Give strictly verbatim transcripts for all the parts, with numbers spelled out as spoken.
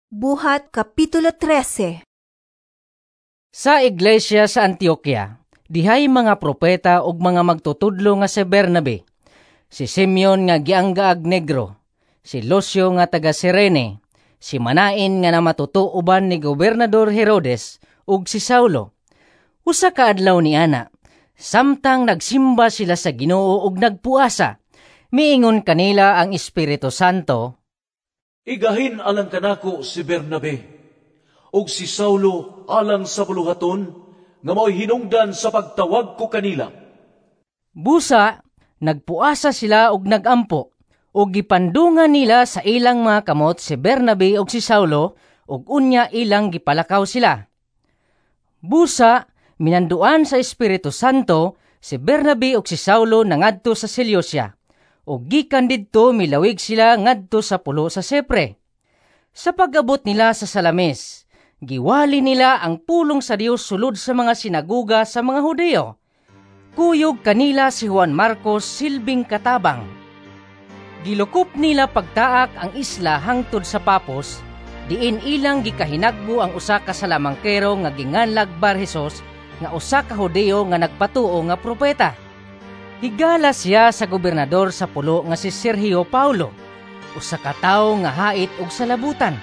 Buhat Kapitulo trese. Sa iglesia sa Antioquia, dihay mga propeta ug mga magtutudlo nga si Bernabe, si Simeon nga gianggaag Negro, si Lucio nga taga Cirene, si Manaen nga namatuto uban ni Gobernador Herodes, ug si Saulo. Usa ka adlaw ni ana, samtang nagsimba sila sa Ginoo ug nagpuasa, miingon kanila ang Espiritu Santo, "Igahin alang kanako si Bernabe ug si Saulo alang sa buluhaton nga mao'y hinungdan sa pagtawag ko kanila." Busa, nagpuasa sila ug nagampo, ug gipandungan nila sa ilang mga kamot si Bernabe ug si Saulo, ug unya ilang gipalakaw sila. Busa, minanduan sa Espiritu Santo, si Bernabe ug si Saulo nangadto sa Seleucia, ug gikan didto milawig sila ngadto sa pulo sa Cypre. Sa pag-abot nila sa Salamis, giwali nila ang pulong sa Dios sulod sa mga sinaguga sa mga Hudiyo. Kuyog kanila si Juan Marcos silbing katabang. Gilukop nila pagtaak ang isla hangtod sa Papos, diin ilang gikahinagbo ang usa ka salamangkero nga ginganlag Bar Jesus, nga usa ka Hudiyo nga nagpatuo nga propeta. Higala siya sa gobernador sa pulo nga si Sergio Paulo, usa ka tawo nga hait og salabutan.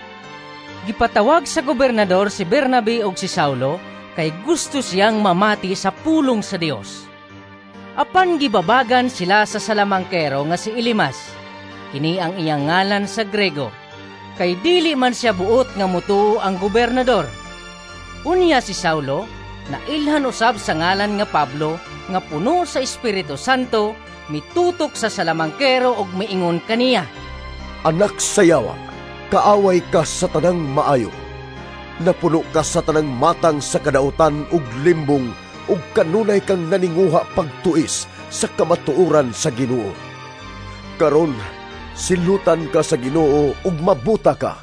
Gipatawag sa gobernador si Bernabe ug si Saulo kay gusto siyang mamati sa pulong sa Dios. Apan gibabagan sila sa salamangkero nga si Elimas. Kini ang iyang ngalan sa Grego. Kay dili man siya buot nga mutuo ang gobernador. Unya si Saulo, nailhan usab sa ngalan nga Pablo, nga puno sa Espiritu Santo, mitutok sa salamangkero ug miingon kaniya, "Anak sa yawa, kaaway ka sa tanang maayo. Napuno ka sa tanang matang sa kadautan ug limbong, ug kanunay kang naninguha pagtuis sa kamatuoran sa Ginoo. Karon, silutan ka sa Ginoo ug mabuta ka,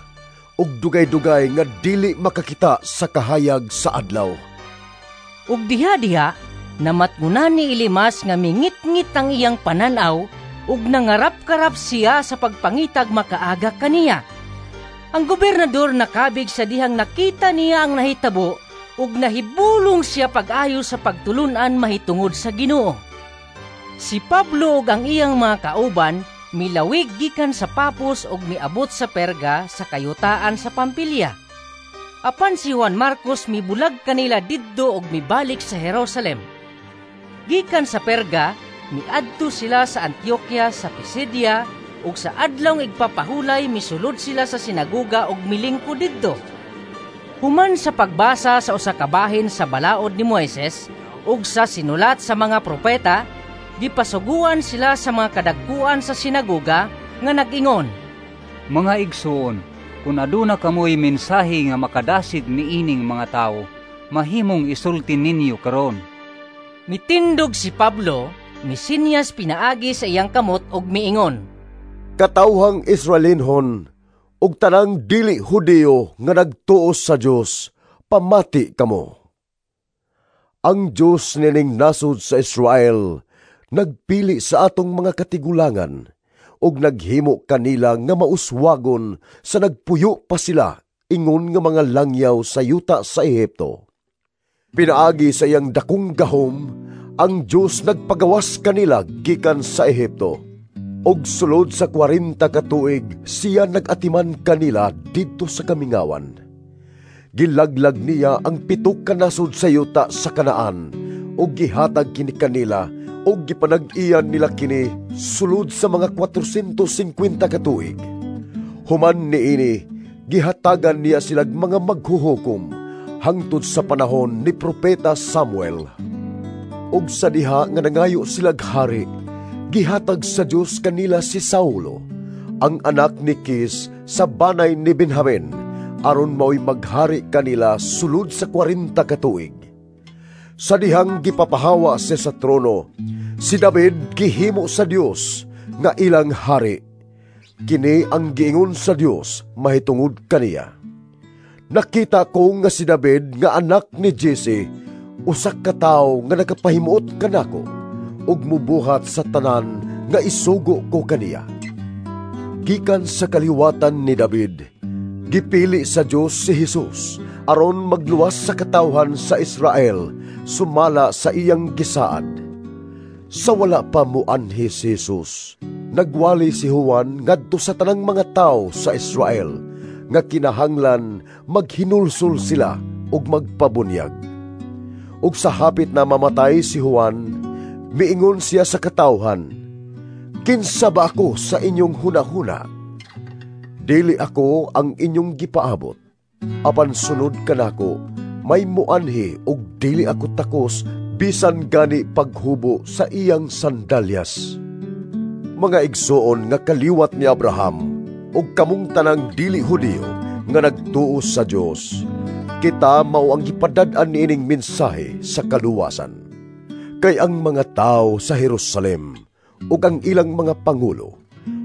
ug dugay-dugay nga dili makakita sa kahayag sa adlaw." Ug diha-diha, namatngunan ni Elimas nga mingitngit ang iyang pananaw ug nangarap-karap siya sa pagpangitag makaaga kaniya. Ang gobernador nakabig sa dihang nakita niya ang nahitabo ug nahibulong siya pag-ayo sa pagtulun-an mahitungod sa Ginoo. Si Pablo ug ang iyang mga kauban milawig gikan sa Papos ug miabot sa Perga sa kayutaan sa Pampilya. Apan si Juan Marcos mibulag kanila didto ug mibalik sa Jerusalem. Gikan sa Perga, miadto sila sa Antioquia sa Pisidia, ug sa adlawng igpapahulay misulod sila sa sinaguga ug milingkod didto. Human sa pagbasa sa usa ka bahin sa balaod ni Moises ug sa sinulat sa mga propeta, gipasuguan sila sa mga kadagkuan sa sinaguga nga nag-ingon, "Mga igsoon, kun aduna kamoy mensahe nga makadasig niining mga tawo, mahimong isulti ninyo karon." Mitindog si Pablo, misinyas pinaagi sa iyang kamot ug miingon, "Katawhang Israelinhon, ug tanang dili Hudiyo nga nagtuo sa Dios, pamati kamo. Ang Dios nining nasod sa Israel nagpili sa atong mga katigulangan ug naghimo kanila nga mauswagon sa nagpuyo pa sila ingon nga mga langyaw sa yuta sa Ehipto. Pinaagi sa iyang dakong gahom, ang Dios nagpagawas kanila gikan sa Ehipto. Ug sulod sa kwarenta ka tuig siya nag-atiman kanila didto sa kamingawan. Gilaglag niya ang pito ka nasod sa yuta sa Kanaan ug gihatag kini kanila ug gipanag-iyan nila kini sulod sa mga kwatrosentos singkwenta ka tuig. Human niini, gihatagan niya silag mga maghuhukom hangtod sa panahon ni Propeta Samuel. Ug sa diha nga nangayo silag hari, gihatag sa Dios kanila si Saulo, ang anak ni Kis sa banay ni Benjamin, aron mao'y maghari kanila sulod sa kwarenta ka tuig. Sa dihang gipapahawa siya sa trono, si David gihimo sa Dios nga ilang hari. Kini ang giingon sa Dios mahitungod kaniya: 'Nakita ko nga si David nga anak ni Jesse, usa ka tawo nga nakapahimuot kanako ug mubuhat sa tanan nga isugo ko kaniya.' Gikan sa kaliwatan ni David, Gipili sa Dios si Jesus aron magluwas sa katawhan sa Israel sumala sa iyang gisaad. Sa wala pa muanhi si Jesus, nagwali si Juan ngadto sa tanang mga tawo sa Israel nga kinahanglan maghinulsol sila ug magpabunyag. Ug sa hapit na mamatay si Juan, miingon siya sa katawhan, "Kinsa ba ako sa inyong hunahuna? Dili ako ang inyong gipaabot. Apan sunod kanako, may muanhi ug dili ako takos bisan gani paghubo sa iyang sandalyas." Mga igsoon nga kaliwat ni Abraham ug kamong tanang dili Hudiyo nga nagtuo sa Dios, kita mao ang gipadad-an niining mensahe sa kaluwasan. Kay ang mga tawo sa Jerusalem ug ang ilang mga pangulo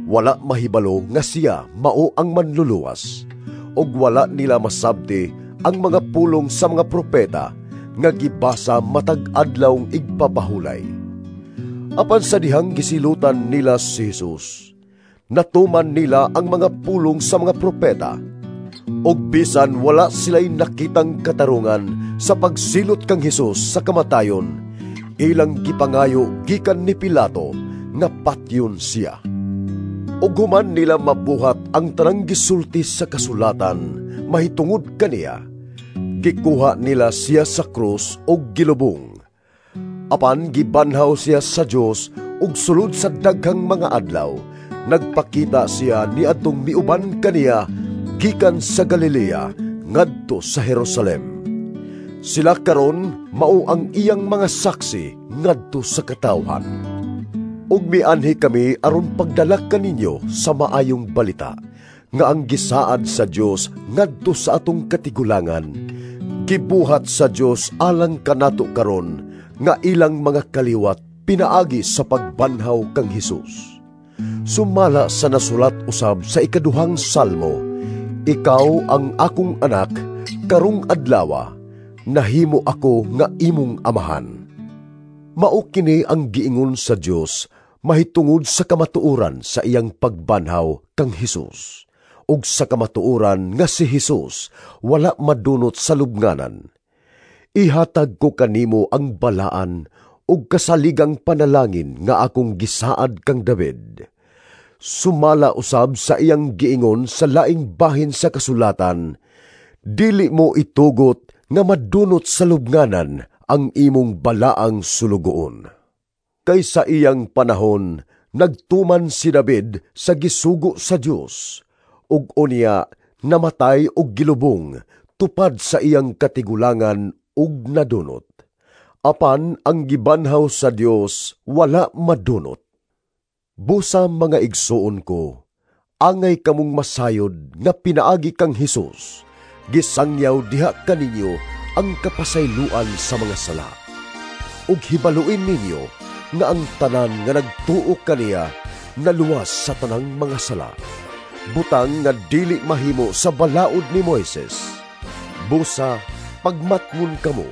wala mahibalo nga siya mao ang manluluwas, ug wala nila masabti ang mga pulong sa mga propeta nga gibasa matag adlawng igpapahulay. Apan sa dihang gisilutan nila si Jesus, natuman nila ang mga pulong sa mga propeta, ug bisan wala sila'y nakitang katarungan sa pagsilot kang Jesus sa kamatayon, ilang gipangayo gikan ni Pilato nga patyon siya. Ug human nila mabuhat ang tanang gisulti sa kasulatan mahitungod kaniya, gikuha nila siya sa krus ug gilubong. Apan gibanhaw siya sa Dios ug sulod sa daghang mga adlaw, nagpakita siya niadtong miuban kaniya gikan sa Galilea ngadto sa Jerusalem. Sila karon mao ang iyang mga saksi ngadto sa katawhan. Ug mianhi kami aron pagdala kaninyo sa maayong balita nga ang gisaad sa Dios ngadto sa atong katigulangan, gibuhat sa Dios alang kanato karon nga ilang mga kaliwat pinaagi sa pagbanhaw kang Hesus. Sumala sa nasulat usab sa ikaduhang salmo, "Ikaw ang akong anak, karong adlawa nahimo ako nga imong amahan." Mao kini ang giingon sa Dios mahitungod sa kamatuoran sa iyang pagbanhaw kang Hesus, ug sa kamatuoran nga si Hesus wala madunot sa lubnganan. Ihatag ko kanimo ang balaan ug kasaligang panalangin nga akong gisaad kang David. Sumala usab sa iyang giingon sa laing bahin sa kasulatan, dili mo itugot nga madunot sa lubnganan ang imong balaang sulugoon. Kay sa iyang panahon, nagtuman si David sa gisugo sa Dios, ug unya namatay og gilubong tupad sa iyang katigulangan ug nadunot. Apan ang gibanhaw sa Dios wala madunot. Busa mga igsoon ko, angay kamong masayod nga pinaagi kang Hesus, gisangyaw diha kaninyo ang kapasayloan sa mga sala. Ug hibaluin ninyo nga ang tanan nga nagtuo kaniya naluwas sa tanang mga sala, butang nga dili mahimo sa balaod ni Moises. Busa pagmatngon kamo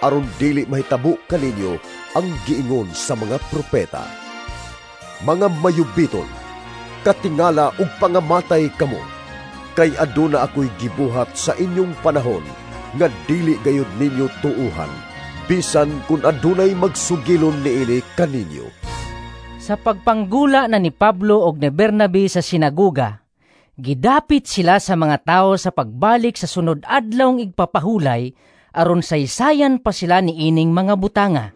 aron dili mahitabo kaninyo ang giingon sa mga propeta. Mga mayubiton, katingala ug pangamatay kamo, kay aduna ako'y gibuhat sa inyong panahon nga dili gayud ninyo tuuhan, bisan kun adunay magsugilon niini kaninyo. Sa pagpanggula na ni Pablo og ni Bernabe sa sinagoga, gidapit sila sa mga tawo sa pagbalik sa sunod adlawng igpapahulay aron saysayan pa sila niining mga butanga.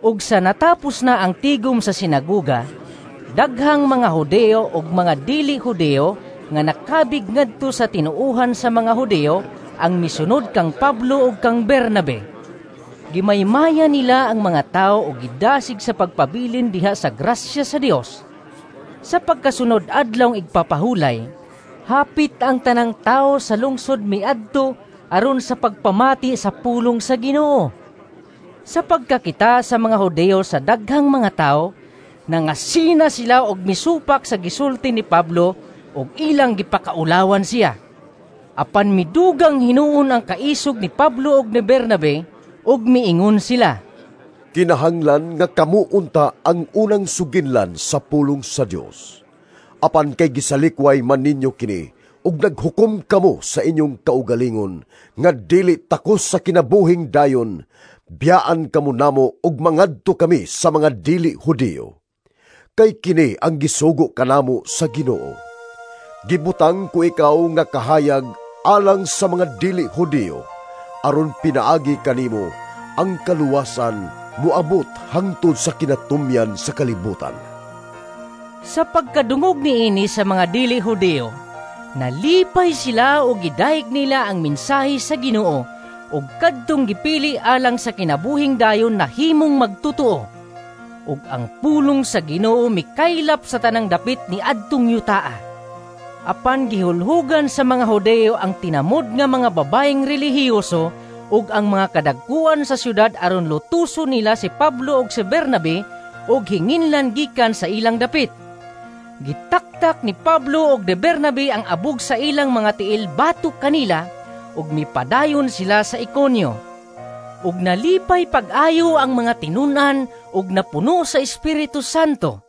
Ug sa natapos na ang tigom sa sinagoga, daghang mga Hudeo ug mga dili Hudeo nga nakabig ngadto sa tinuohan sa mga Hudeo ang misunod kang Pablo ug kang Bernabe. Gimaymaya nila ang mga tao ug gidasig sa pagpabilin diha sa grasya sa Dios. Sa pagkasunod adlawng igpapahulay, hapit ang tanang tao sa lungsod miadto aron sa pagpamati sa pulong sa Ginoo. Sa pagkakita sa mga Hudeo sa daghang mga tao, nangasina sila og misupak sa gisulti ni Pablo og ilang gipakaulawan siya. Apan midugang hinuon ang kaisog ni Pablo og ni Bernabe ug miingon sila, "Kinahanglan nga kamo unta ang unang suginlan sa pulong sa Dios. Apan kay gisalikway man ninyo kini Ug naghukom kamo sa inyong kaugalingon nga dili takos sa kinabuhing dayon, biyaan kamo namo ug mangadto kami sa mga dili Hudiyo. Kay kini ang gisugo kanamo sa Ginoo: Gibutang ko ikaw nga kahayag alang sa mga dili Hudiyo, aron pinaagi kanimo ang kaluwasan moabot hangtod sa kinatumyan sa kalibutan. Sa pagkadungog niini sa mga dili Hudiyo, nalipay sila ug gidayeg nila ang mensahe sa Ginoo, ug kadtong gipili alang sa kinabuhing dayon nahimong magtotoo. Ug ang pulong sa Ginoo mikaylap sa tanang dapit ni adtong yutaa. Apan gihulhugan sa mga Hudiyo ang tinamod nga mga babayeng relihiyoso ug ang mga kadagkuan sa syudad aron lutuson nila si Pablo ug si Bernabe ug hinginlan gikan sa ilang dapit. Gitaktak ni Pablo ug ni Bernabe ang abog sa ilang mga tiil batok kanila ug mipadayon sila sa Ikonio. Ug nalipay pag-ayo ang mga tinun-an ug napuno sa Espiritu Santo.